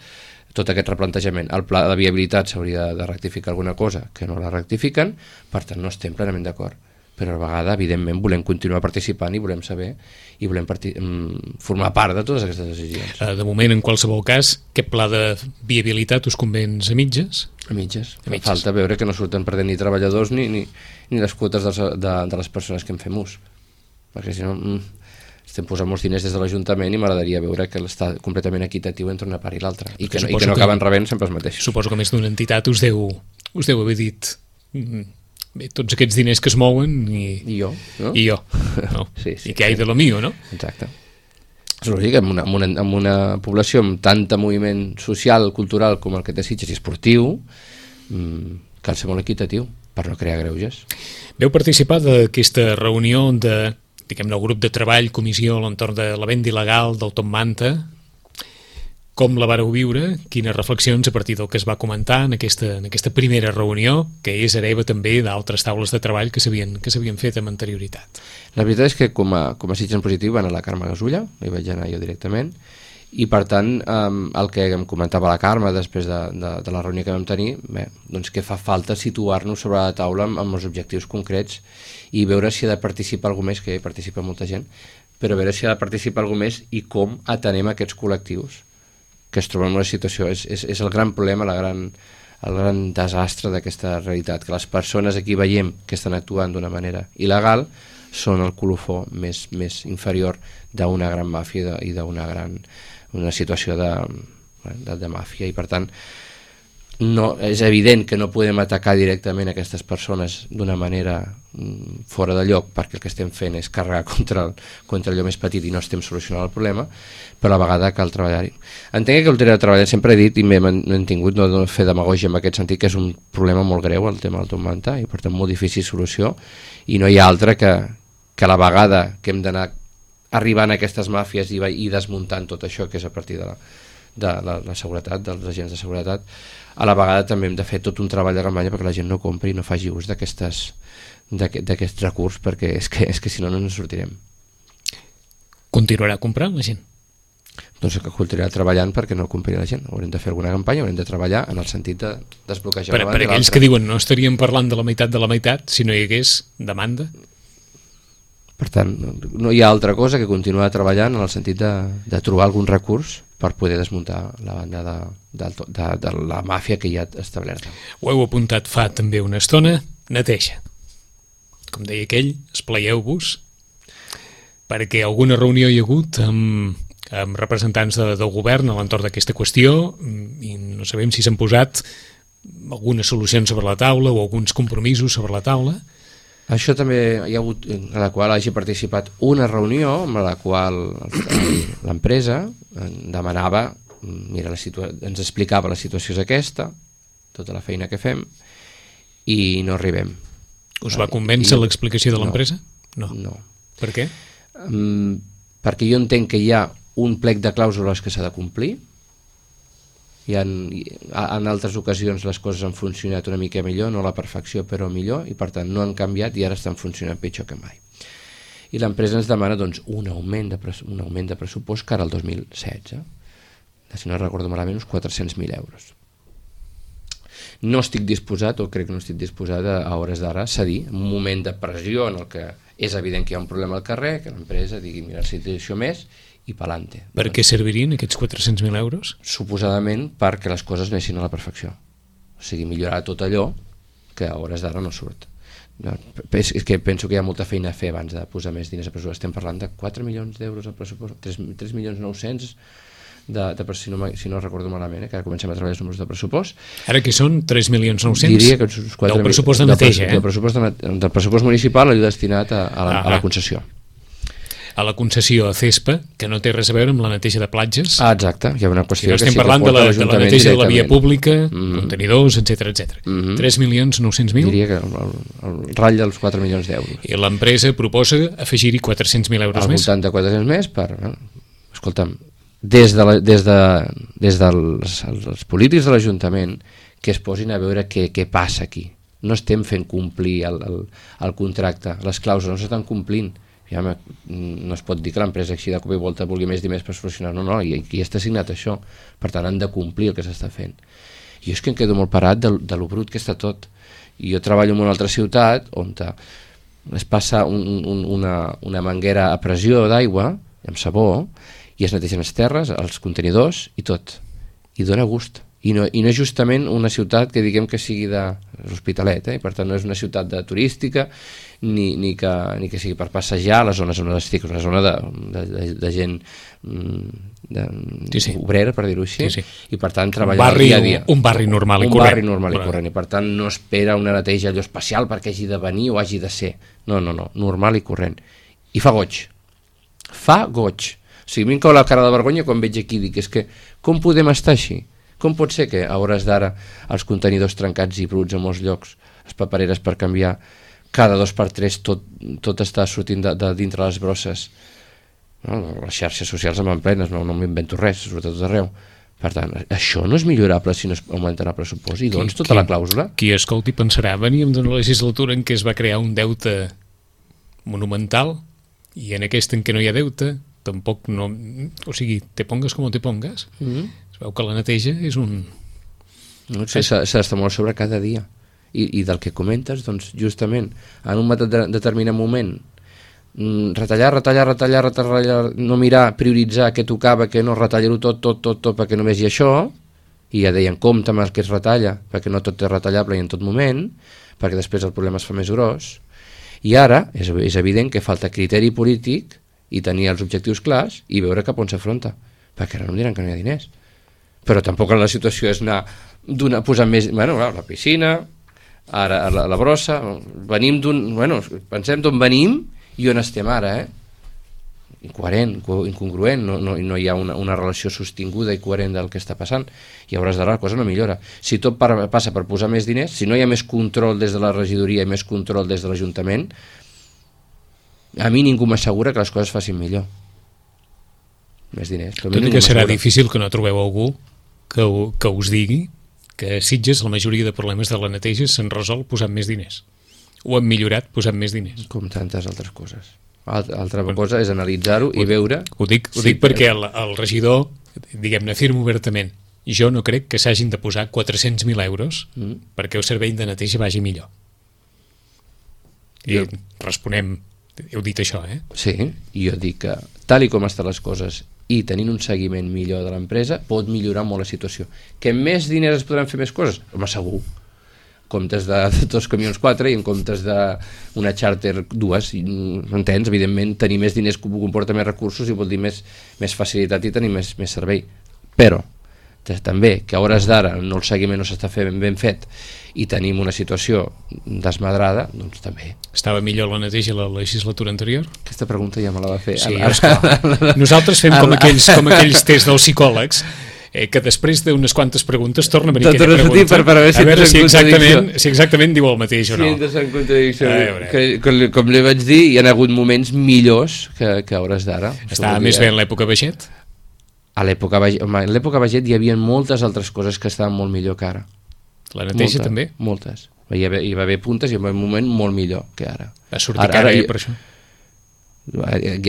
tot aquest replantejament. El pla de viabilitat s'hauria de rectificar alguna cosa que no la rectifiquen, per tant no estem plenament d'acord, però a la vegada evidentment volem continuar participant i volem saber i volem formar part de totes aquestes decisions. De moment, en qualsevol cas, aquest pla de viabilitat us convenç a mitges? A mitges. A mitges. Falta veure que no surten perdent ni treballadors ni, ni, ni les quotes de, de, de les persones que en fem ús, perquè si no estem posant molts diners des de l'Ajuntament i m'agradaria veure que està completament equitatiu entre una part i l'altra i, que no, i que no acaben rebent sempre els mateixos. Suposo que més d'una entitat us deu, us deu haver dit bé, tots aquests diners que es mouen i, I jo, no? I jo, no? sí, sí, I que hay sí. de lo mío, no? Exacte. És lògic, amb una, amb, una, amb una població amb tant moviment social, cultural com el que té Sitges i esportiu, mmm, cal ser molt equitatiu per no crear greuges. Veu participar d'aquesta reunió de diguem-ne, el grup de treball, comissió a l'entorn de la venda il·legal del Top Manta. Com la vareu viure? Quines reflexions a partir del que es va comentar en aquesta, en aquesta primera reunió, que és hereva també d'altres taules de treball que s'havien que s'havien fet amb anterioritat? La veritat és que com a, com a Sitges en positiu va anar la Carme Gasulla, hi vaig anar jo directament, i per tant eh, el que em comentava la Carme després de, de, de la reunió que vam tenir, bé, doncs que fa falta situar-nos sobre la taula amb, amb els objectius concrets i veure si ha de participar algú més, que hi participa molta gent, però veure si ha de participar algú més i com atenem aquests col·lectius que es troben en una situació. És, és, és el gran problema, la gran, el gran desastre d'aquesta realitat, que les persones aquí veiem que estan actuant d'una manera il·legal són el colofó més, més inferior d'una gran màfia i d'una gran una situació de, de, de màfia, i per tant no, és evident que no podem atacar directament aquestes persones d'una manera mm, fora de lloc, perquè el que estem fent és carregar contra, el, contra allò més petit i no estem solucionant el problema, però a la vegada cal treballar-hi. Entenc que el tema de treballar, sempre he dit i m'he mantingut no de fer demagògia en aquest sentit, que és un problema molt greu el tema del Top Manta i per tant molt difícil solució, i no hi ha altra que, que a la vegada que hem d'anar arribant a aquestes màfies i, i desmuntant tot això que és a partir de la, de la, la seguretat, dels agents de seguretat, a la vegada també hem de fer tot un treball de campanya perquè la gent no compri i no faci ús d'aquests recursos, perquè és que, és que si no no ens sortirem. Continuarà comprant la gent? Doncs que continuarà treballant perquè no compri la gent. Haurem de fer alguna campanya, haurem de treballar en el sentit de desbloquejar per, per aquells que diuen no estaríem parlant de la meitat de la meitat si no hi hagués demanda. Per tant, no hi ha altra cosa que continuar treballant en el sentit de, de trobar algun recurs per poder desmuntar la banda de, de, de, de la màfia que hi ha establerta. Ho heu apuntat fa també una estona, neteja. Com deia aquell, esplaieu-vos, perquè alguna reunió hi ha hagut amb, amb representants de, del govern a l'entorn d'aquesta qüestió i no sabem si s'han posat algunes solucions sobre la taula o alguns compromisos sobre la taula. Això també hi ha hagut, en la qual hagi participat una reunió amb la qual l'empresa demanava, mira, la situa- ens explicava la situació és aquesta, tota la feina que fem, i no arribem. Us va convèncer I, l'explicació de l'empresa? No. no. Per què? Um, perquè jo entenc que hi ha un plec de clàusules que s'ha de complir, i en, en altres ocasions les coses han funcionat una mica millor, no a la perfecció però millor, i per tant no han canviat i ara estan funcionant pitjor que mai. I l'empresa ens demana doncs, un, augment de un augment de pressupost cara al dos mil setze, si no recordo malament uns quatre-cents mil euros. No estic disposat, o crec que no estic disposat a, a hores d'ara a cedir, en un moment de pressió en el que és evident que hi ha un problema al carrer, que l'empresa digui mira, situació més i pelante. Per què servirien aquests quatre-cents mil euros? Suposadament perquè les coses anessin a la perfecció. O sigui, millorar tot allò que a hores d'ara no surt. No, és que penso que hi ha molta feina a fer abans de posar més diners a pressupost. Estem parlant de quatre milions d'euros al pressupost, tres milions nou-cents de, de, si, no, si no recordo malament, eh, que ara comencem a treballar els números de pressupost. Ara que són tres milions nou-cents? Diria que uns quatre del pressupost de neteja, del, eh? Del pressupost, de, del pressupost municipal allò destinat a, a, la, ah, a la concessió. A la concessió a CESPA, que no té res a veure amb la neteja de platges. Ah, exacte, hi ha una qüestió si no que estem sí parlant que de la, de la neteja de la via pública, mm-hmm. contenidors, etcètera, etcètera. Mm-hmm. tres milions nou-cents mil? Diria que el, el, el ratll dels quatre milions d'euros. I l'empresa proposa afegir-hi quatre-cents mil euros al més? Al voltant de quatre-cents més per... Eh, escolta'm, des, de la, des, de, des dels els, els polítics de l'Ajuntament que es posin a veure què, què passa aquí. No estem fent complir el, el, el contracte, les clàusules no s'estan complint. Ja, no es pot dir que l'empresa així de cop i volta vulgui més diners per solucionar, no, no, i aquí està signat això, per tant han de complir el que s'està fent. Jo és que em quedo molt parat de, de lo brut que està tot. I jo treballo en una altra ciutat on es passa un, un, una, una manguera a pressió d'aigua amb sabó i es netegen les terres, els contenidors i tot, i dona gust. I no, i no és justament una ciutat que diguem que sigui de l'Hospitalet, eh? I per tant no és una ciutat de turística ni, ni, que, ni que sigui per passejar a les zones on estic, una zona de, de, de, de gent de, sí, sí. obrera, per dir-ho així, sí, sí. I per tant treballar barri, dia a dia. Un barri normal i un corrent. Un barri normal i corrent, i per tant no espera una neteja allò especial perquè hagi de venir o hagi de ser. No, no, no, normal i corrent. I fa goig. Fa goig. O sigui, a mi em cau la cara de vergonya quan veig aquí, dic, és que com podem estar així? Com pot ser que a hores d'ara els contenidors trencats i bruts a molts llocs, les papereres per canviar, cada dos per tres tot, tot està sortint de, de dintre les brosses? No, les xarxes socials en plenes, no, no m'invento res, sobretot tot arreu. Per tant, això no és millorable si no es augmenten el pressupost. I doncs tota qui, la clàusula... Qui escolti pensarà, veníem d'una legislatura en què es va crear un deute monumental i en aquesta en què no hi ha deute, tampoc no... O sigui, te pongues com te pongues... Mm-hmm. Veu que la neteja és un... No sé, s'ha d'estar molt sobre cada dia. I, I del que comentes, doncs, justament, en un de, determinat moment, retallar, retallar, retallar, retallar, no mirar, prioritzar què tocava, què no, retallar-ho tot, tot, tot, tot, perquè només hi ha això, i ja deien, compte amb el que es retalla, perquè no tot és retallable i en tot moment, perquè després el problema es fa més gros. I ara és, és evident que falta criteri polític i tenir els objectius clars i veure cap on s'afronta, perquè ara no em diran que no hi ha diners. Però tampoc la situació és anar donar, posant més... Bueno, la piscina, ara la, la brossa... Venim d'un... Bueno, pensem d'on venim i on estem ara, eh? Incoherent, incongruent, no, no, no hi ha una, una relació sostinguda i coherent del que està passant. I a hores d'ara la cosa no millora. Si tot per, passa per posar més diners, si no hi ha més control des de la regidoria i més control des de l'Ajuntament, a mi ningú m'assegura que les coses facin millor. Més diners. Tot i que serà difícil que no trobeu algú que, que us digui que a Sitges la majoria de problemes de la neteja s'han resolt posant més diners o han millorat posant més diners, com tantes altres coses. Altra, altra bueno, cosa és analitzar-ho i veure... Ho dic, ho sí, dic perquè el, el regidor, diguem-ne, afirma obertament, jo no crec que s'hagin de posar quatre-cents mil euros mm. perquè el servei de neteja vagi millor. I jo... responem, heu dit això, eh? Sí, jo dic que tal i com estan les coses i tenint un seguiment millor de l'empresa pot millorar molt la situació. Que amb més diners es podran fer més coses? Home, segur. Comptes de, de dos camions quatre i en comptes d'una xàrter dues, entens? Evidentment, tenir més diners comporta més recursos i vol dir més, més facilitat i tenir més, més servei. Però també que a hores d'ara no el seguiment no s'està fent ben, ben fet i tenim una situació desmadrada, doncs també. Estava millor la neteja la legislatura anterior? Aquesta pregunta ja me la va fer. Sí, esclar. Nosaltres fem com aquells, com aquells tests dels psicòlegs, eh, que després d'unes quantes preguntes torna a venir aquella pregunta per, per a veure si, a veure si, exactament, si exactament diu el mateix o no. Sí, en contradicció. Que, que, com li vaig dir, hi ha hagut moments millors que, que a hores d'ara. Estava més bé en l'època Baget? A l'època Baget hi havia moltes altres coses que estaven molt millor que ara. La neteja Molta, també? Moltes. Hi va, hi va haver puntes i hi va haver un moment molt millor que ara. Va sortir ara, cara, ara, eh, per això?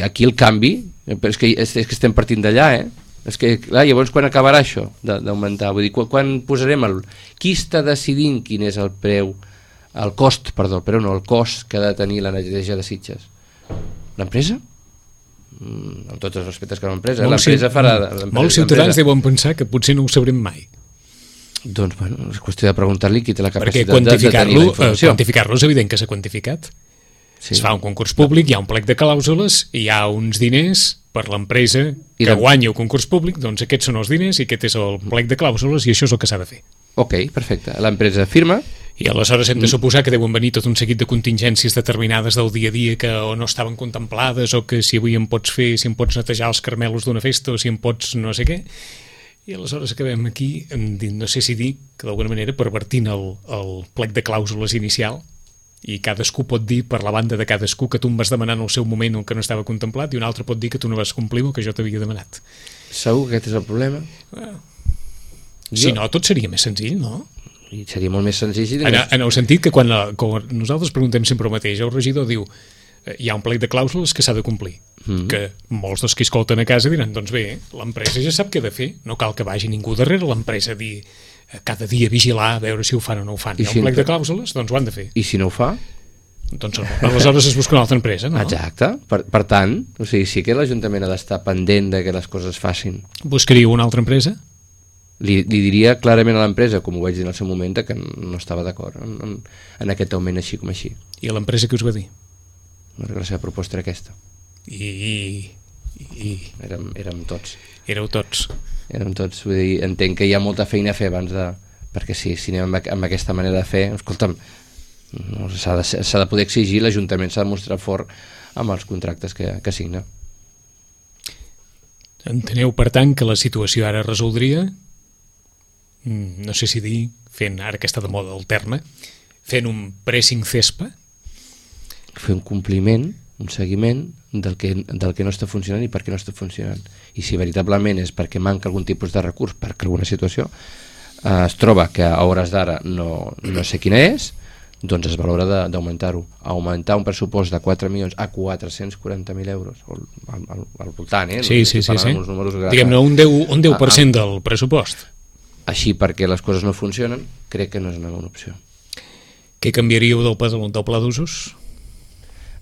Aquí el canvi, és que, és, és que estem partint d'allà, eh? És que, clar, llavors quan acabarà això d'augmentar? Vull dir, quan, quan posarem el... Qui està decidint quin és el preu, el cost, perdó, però no, el cost que ha de tenir la neteja de Sitges? L'empresa? Mm, amb tots els respectes que l'empresa, l'empresa farà... Molts ciutadans deuen pensar que potser no ho sabrem mai. Doncs, bueno, és qüestió de preguntar-li qui té la capacitat de, de tenir la informació. Quantificar-lo és evident que s'ha quantificat. Sí. Es fa un concurs públic, hi ha un plec de clàusules, hi ha uns diners per l'empresa que de... guanya el concurs públic, doncs aquests són els diners i aquest és el plec de clàusules i això és el que s'ha de fer. Ok, perfecte. L'empresa firma... I aleshores hem de suposar que deuen venir tot un seguit de contingències determinades del dia a dia que o no estaven contemplades o que si avui em pots fer, si em pots netejar els carmelos d'una festa o si em pots no sé què. I aleshores acabem aquí, no sé si dir que d'alguna manera pervertint el, el plec de clàusules inicial i cadascú pot dir per la banda de cadascú que tu em vas demanar en el seu moment el que no estava contemplat i un altre pot dir que tu no vas complir el que jo t'havia demanat. Segur que aquest és el problema? Bueno, si jo... no, tot seria més senzill, no? i seria molt més senzill si en, en el sentit que quan, la, quan nosaltres preguntem sempre el mateix, el regidor diu hi ha un plec de clàusules que s'ha de complir, mm. que molts dels que escolten a casa diran, doncs bé, l'empresa ja sap què ha de fer, no cal que vagi ningú darrere l'empresa a dir, cada dia vigilar a veure si ho fan o no ho fan, hi ha un plec de clàusules, doncs ho han de fer. I si no ho fa? Doncs aleshores es busca una altra empresa, no? Exacte, per, per tant, o sigui, sí que l'Ajuntament ha d'estar pendent de que les coses es facin. Buscaríeu una altra empresa? Li, li diria clarament a l'empresa, com ho vaig dir en el seu moment, que no estava d'acord en, en, en aquest augment aixi com així. I l'empresa què us va dir? La seva proposta era aquesta. I... i, i... Érem, érem tots. Éreu tots. Érem tots, vull dir, entenc que hi ha molta feina a fer abans de... Perquè sí, si anem amb, amb aquesta manera de fer, escolta'm, no, s'ha de, s'ha de poder exigir, l'Ajuntament s'ha de mostrar fort amb els contractes que, que signa. Enteneu, per tant, que la situació ara resoldria, no sé si dir, fent, ara que està de moda el terme, fent un pressing cespa, fer un compliment, un seguiment del que, del que no està funcionant i per què no està funcionant. I si veritablement és perquè manca algun tipus de recurs, perquè alguna situació eh, es troba que a hores d'ara no, no sé quina és, doncs es valora d'augmentar-ho. Augmentar un pressupost de quatre milions a quatre-cents quaranta mil euros, al, al, al voltant, eh? Sí, no sí, sí. sí. Que... Diguem-ne, un deu, un deu per cent del pressupost. Així, perquè les coses no funcionen, crec que no és una bona opció. Què canviaríeu del pla, del pla d'usos?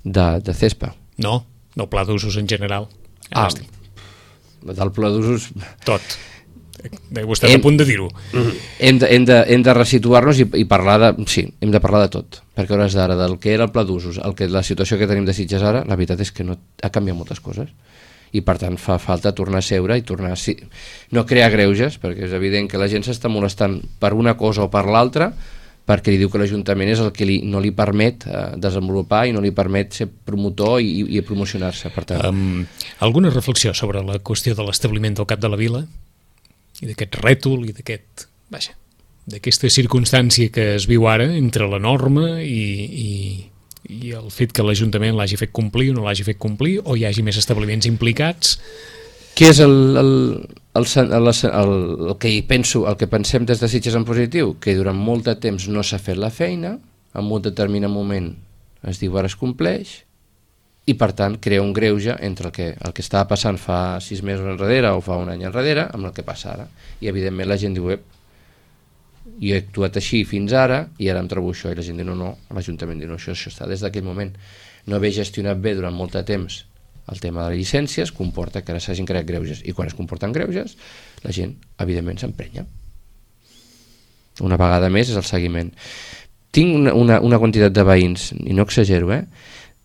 De, de CESPA. No, del pla d'usos en general. Ah, del pla d'usos... Tot. Vostè està a punt de dir-ho. Hem de, hem de, hem de resituar-nos i, i parlar de... Sí, hem de parlar de tot. Perquè a hores d'ara, del que era el pla d'usos, el que, la situació que tenim de Sitges ara, la veritat és que no, ha canviat moltes coses. I per tant fa falta tornar a seure i tornar a... Sí, no crear greuges, perquè és evident que la gent s'està molestant per una cosa o per l'altra, perquè li diu que l'Ajuntament és el que li, no li permet eh, desenvolupar i no li permet ser promotor i, i promocionar-se. Per tant. Um, alguna reflexió sobre la qüestió de l'establiment del cap de la vila i d'aquest rètol i d'aquest, vaja, d'aquesta circumstància que es viu ara entre la norma i, i, i el fet que l'Ajuntament l'hagi fet complir o no l'hagi fet complir, o hi hagi més establiments implicats? Què és el, el, el, el, el, el que hi penso, el que pensem des de Sitges en positiu? Que durant molt de temps no s'ha fet la feina, en un determinat moment es diu ara es compleix, i per tant crea un greuge entre el que, el que estava passant fa sis mesos enrere o fa un any enrere amb el que passa ara. I evidentment la gent diu, ep, jo he actuat així fins ara i ara em trobo això, i la gent diu no, no, l'Ajuntament diu no, això, això està des d'aquell moment. No haver gestionat bé durant molt de temps el tema de les llicències comporta que ara s'hagin creat greuges, i quan es comporten greuges la gent evidentment s'emprenya. Una vegada més és el seguiment. Tinc una, una, una quantitat de veïns, i no exagero, eh,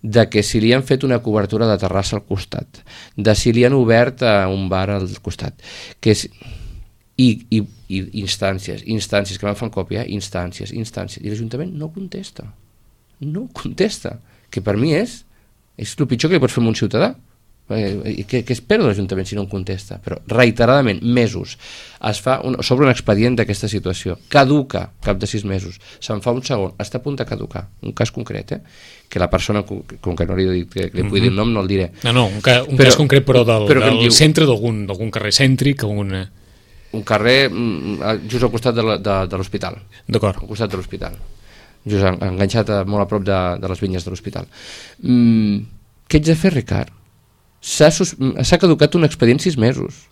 de que si li han fet una cobertura de terrassa al costat, de si li han obert a un bar al costat, que és, i, i, i instàncies, instàncies que van fent còpia, instàncies, instàncies, i l'Ajuntament no contesta, no contesta, que per mi és és el pitjor que li pots fer a un ciutadà. Què espero de l'Ajuntament si no em contesta? Però reiteradament, mesos, es fa un, sobre un expedient d'aquesta situació, caduca cap de sis mesos, se'n fa un segon, està a punt de caducar, un cas concret, eh? Que la persona, com que no li he dit que li pugui dir el nom, no el diré. No, no, un, ca, un però, cas concret però del, però del diu, centre d'algun carrer cèntric, algun... un carrer just al costat de l'hospital. D'acord. Al costat de l'hospital. Just enganxat a, molt a prop de, de les vinyes de l'hospital. Mm, què ets de fer, Ricard? S'ha caducat un expedient sis mesos.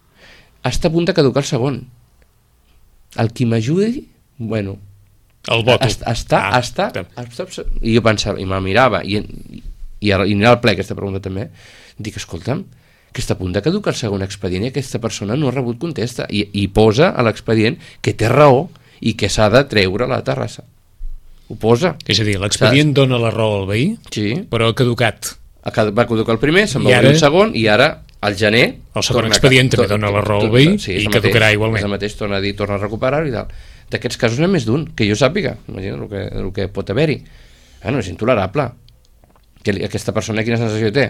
Està a punt de caducar el segon. El qui m'ajudi, bueno... El voto. Està, ah, està, està... I jo pensava, i me mirava, i, i, i anirà al ple aquesta pregunta també, dic, escolta'm, que està a punt de caducar el segon expedient i aquesta persona no ha rebut contesta. I, i posa a l'expedient que té raó i que s'ha de treure la terrassa. Ho posa. És a dir, l'expedient dona la raó al veí, sí, però ha caducat. Va caducar el primer, se'n va obrir un segon, i ara, al gener... El segon expedient també dona la raó al veí i caducarà igualment. És el mateix, torna a dir, torna a recuperar-ho i tal. D'aquests casos n'hi ha més d'un, que jo sàpiga, imagina el que, el que pot haver-hi. Bueno, és intolerable. Que aquesta persona quina sensació té?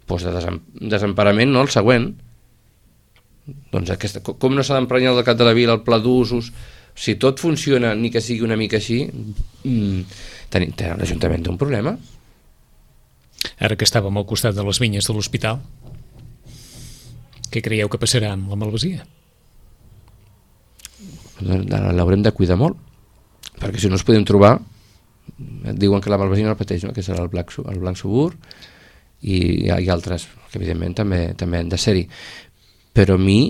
Doncs de desem, desemparament, no? El següent. Doncs aquesta, com no s'ha d'emprenyar el cap de la vila, el pla d'usos... Si tot funciona, ni que sigui una mica així, mmm, l'Ajuntament té un problema. Ara que estàvem al costat de les vinyes de l'hospital, què creieu que passarà amb la malvasia? L'haurem de cuidar molt. perquè si no ens podem trobar, et diuen que la Malvasina el pateix, no? Que serà el Blanc, el Blanc Subur, i hi ha, hi ha altres que evidentment també, també han de ser-hi. Però a mi,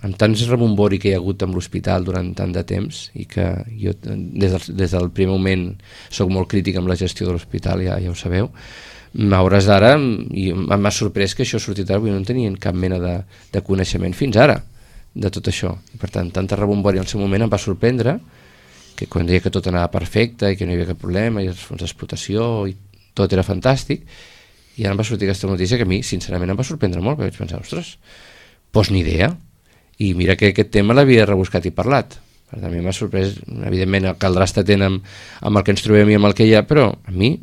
amb tants rebombori que hi ha hagut amb l'hospital durant tant de temps, i que jo des del, des del primer moment soc molt crític amb la gestió de l'hospital, ja, ja ho sabeu, a hores d'ara m'ha sorprès que això ha sortit ara, no tenien cap mena de, de coneixement fins ara de tot això, i per tant tanta rebombori en el seu moment em va sorprendre que quan deia que tot anava perfecte i que no hi havia cap problema i els fons d'explotació i tot era fantàstic, i ara em va sortir aquesta notícia que a mi sincerament em va sorprendre molt, perquè vaig pensar, ostres, doncs ni idea, i mira que aquest tema l'havia rebuscat i parlat. Per tant, a mi m'ha sorprès, evidentment caldrà estar atent amb, amb el que ens trobem i amb el que hi ha, però a mi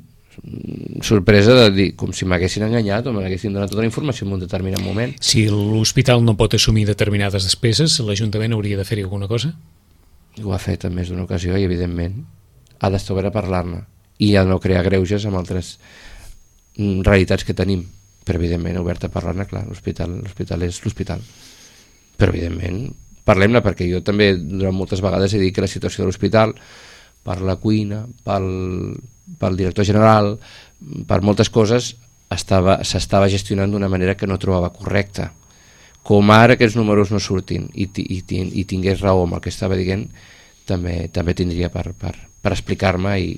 sorpresa de dir, com si m'haguessin enganyat o m'haguessin donat tota la informació en un determinat moment. Si l'hospital no pot assumir determinades despeses, l'Ajuntament hauria de fer-hi alguna cosa? Ho ha fet en més d'una ocasió i evidentment ha d'estar obert a parlar-ne i a no crear greuges amb altres realitats que tenim, però evidentment obert a parlar-ne, clar, l'hospital l'hospital és l'hospital, però evidentment parlem-ne, perquè jo també durant moltes vegades he dit que la situació de l'hospital per la cuina, pel, pel director general, per moltes coses estava, s'estava gestionant d'una manera que no trobava correcta. Com ara aquests números no surtin i, i, i tingués raó amb el que estava dient, també, també tindria per, per, per explicar-me i,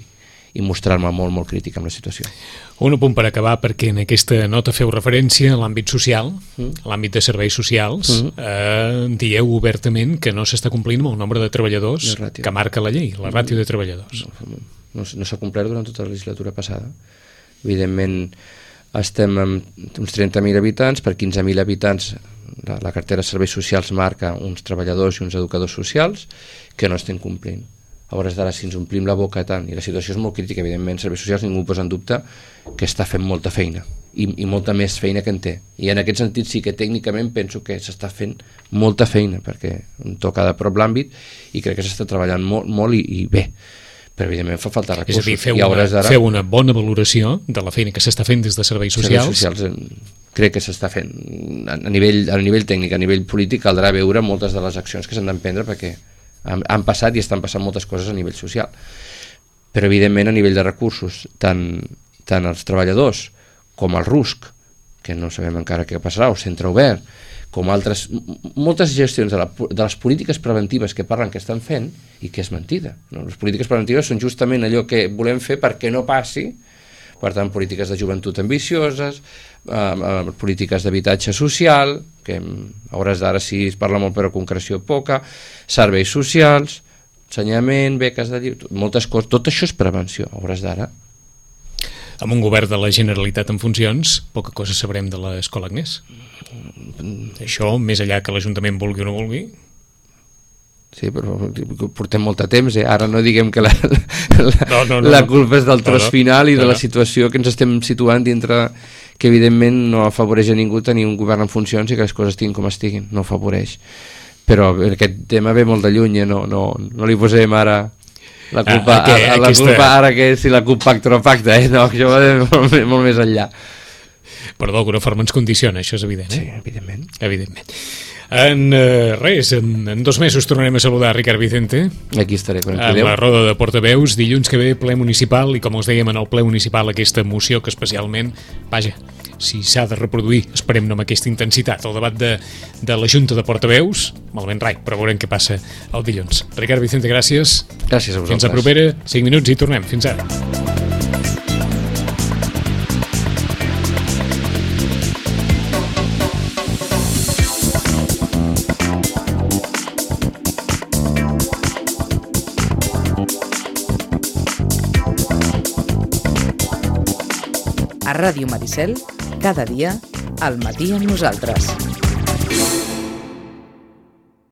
i mostrar-me molt, molt crític amb la situació. Un apunt per acabar, perquè en aquesta nota feu referència a l'àmbit social, mm. l'àmbit de serveis socials, mm. eh, dieu obertament que no s'està complint amb el nombre de treballadors que marca la llei, la ràtio de treballadors. No, no, no s'ha complert durant tota la legislatura passada. Evidentment, estem amb uns trenta mil habitants, per quinze mil habitants la, la cartera de serveis socials marca uns treballadors i uns educadors socials que no estem complint. A hores d'ara, si ens omplim la boca tant, i la situació és molt crítica, evidentment, serveis socials ningú posa en dubte que està fent molta feina, i, i molta més feina que en té. I en aquest sentit sí que tècnicament penso que s'està fent molta feina, perquè em toca de prop l'àmbit, i crec que s'està treballant molt, molt i, i bé. Però evidentment fa falta recursos. És a dir, feu, una, feu una bona valoració de la feina que s'està fent des de serveis socials. Serveis socials crec que s'està fent a nivell, a nivell tècnic, a nivell polític caldrà veure moltes de les accions que s'han d'emprendre, perquè han, han passat i estan passant moltes coses a nivell social. Però evidentment a nivell de recursos, tant, tant els treballadors com el R U S C, que no sabem encara què passarà, o centre obert, com altres, moltes gestions de, la, de les polítiques preventives que parlen que estan fent, i que és mentida. No? Les polítiques preventives són justament allò que volem fer perquè no passi, per tant, polítiques de joventut ambicioses, eh, polítiques d'habitatge social, que a hores d'ara sí es parla molt però concreció poca, serveis socials, ensenyament, beques de llibre, moltes coses, tot això és prevenció, a hores d'ara. Amb un govern de la Generalitat en funcions, poca cosa sabrem de l'Escola Agnès. Això, més enllà que l'Ajuntament vulgui o no vulgui. Sí, però portem molt de temps, eh? Ara no diguem que la, la, no, no, no, la culpa és del tros no, no. final i de no, no. la situació que ens estem situant dintre, que evidentment no afavoreix a ningú tenir un govern en funcions i que les coses estiguin com estiguin, no afavoreix. Però aquest tema ve molt de lluny, eh? no, no, no li posem ara la culpa, ah, okay, a, a la aquesta... culpa ara que si la CUP pacta o no pacta, eh? No, això va molt, molt més enllà. Però d'alguna forma ens condiciona, això és evident. Eh? Sí, evidentment. Evidentment. En uh, res, en, en dos mesos tornarem a saludar Ricard Vicente. Aquí estaré quan en la roda de portaveus, dilluns que ve ple municipal, i com us dèiem en el ple municipal aquesta moció que especialment, vaja, si s'ha de reproduir, esperem no amb aquesta intensitat, el debat de, de la Junta de Portaveus, malament rai, però veurem què passa el dilluns. Ricard Vicente, gràcies. Gràcies a vosaltres. Fins a propera, cinc minuts i tornem. Fins ara. A Ràdio Maricel, cada dia, al matí amb nosaltres.